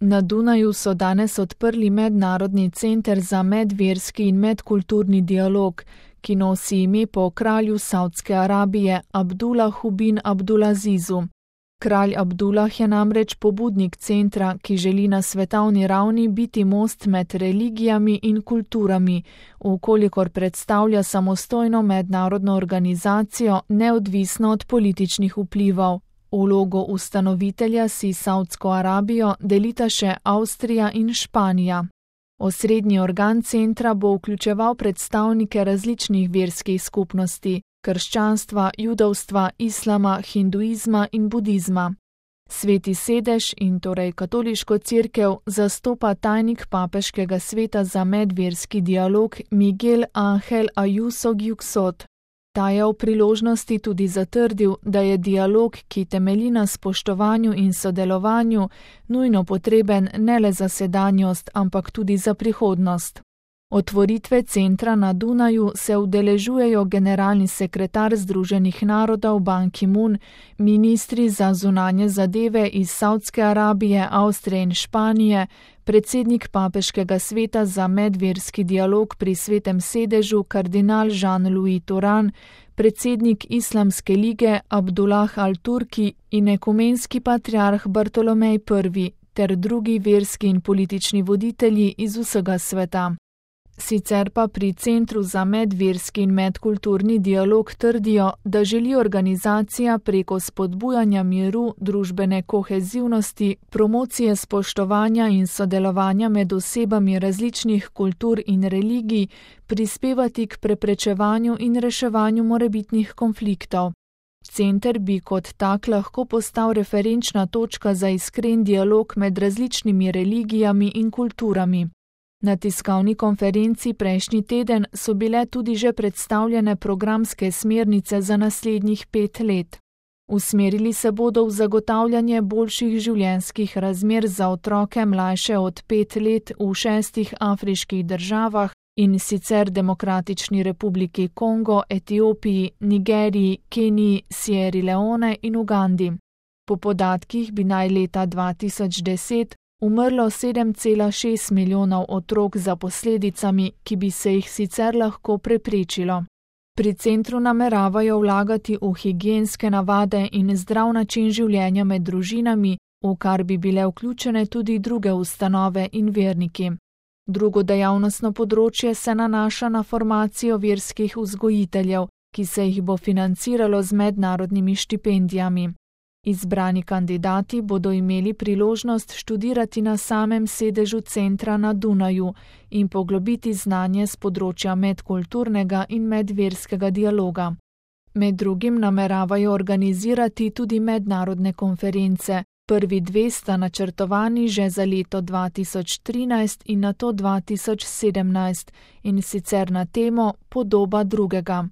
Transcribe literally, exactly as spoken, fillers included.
Na Dunaju so danes odprli mednarodni center za medverski in medkulturni dialog, ki nosi ime po kralju Savdske Arabije Abdulahu bin Abdulazizu. Kralj Abdulah je namreč pobudnik centra, ki želi na svetovni ravni biti most med religijami in kulturami, vkolikor predstavlja samostojno mednarodno organizacijo, neodvisno od političnih vplivov. Vlogo ustanovitelja si Savdsko Arabijo delita še Avstrija in Španija. Osrednji organ centra bo vključeval predstavnike različnih verskih skupnosti, krščanstva, judovstva, islama, hinduizma in budizma. Sveti sedež in torej katoliško cerkev zastopa tajnik papeškega sveta za medverski dialog Miguel Ángel Ayuso Gyuxot. Ta je v priložnosti tudi zatrdil, da je dialog, ki temelji na spoštovanju in sodelovanju, nujno potreben ne le za sedanjost, ampak tudi za prihodnost. Otvoritve centra na Dunaju se udeležujejo generalni sekretar Združenih narodov Ban Ki-moon, ministri za zunanje zadeve iz Savdske Arabije, Avstrije in Španije, predsednik papeškega sveta za medverski dialog pri Svetem sedežu kardinal Jean-Louis Touran, predsednik Islamske lige Abdullah al-Turki in ekumenski patriarh Bartolomej Prvi ter drugi verski in politični voditelji iz vsega sveta. Sicer pa pri Centru za medverski in medkulturni dialog trdijo, da želi organizacija preko spodbujanja miru, družbene kohezivnosti, promocije spoštovanja in sodelovanja med osebami različnih kultur in religij prispevati k preprečevanju in reševanju morebitnih konfliktov. Center bi kot tak lahko postal referenčna točka za iskren dialog med različnimi religijami in kulturami. Na tiskovni konferenci prejšnji teden so bile tudi že predstavljene programske smernice za naslednjih pet let. Usmerili se bodo v zagotavljanje boljših življenjskih razmer za otroke mlajše od pet let v šestih afriških državah, in sicer Demokratični republiki Kongo, Etiopiji, Nigeriji, Keniji, Sierra Leone in Ugandi. Po podatkih bi naj leta dva tisoč deset umrlo sedem cela šest milijonov otrok za posledicami, ki bi se jih sicer lahko preprečilo. Pri centru nameravajo vlagati v higienske navade in zdrav način življenja med družinami, v kar bi bile vključene tudi druge ustanove in verniki. Drugo dejavnostno področje se nanaša na formacijo verskih vzgojiteljev, ki se jih bo financiralo z mednarodnimi štipendijami. Izbrani kandidati bodo imeli priložnost študirati na samem sedežu centra na Dunaju in poglobiti znanje z področja medkulturnega in medverskega dialoga. Med drugim nameravajo organizirati tudi mednarodne konference. Prvi dve sta načrtovani že za leto dva tisoč trinajst in nato dva tisoč sedemnajst, in sicer na temo Podoba drugega.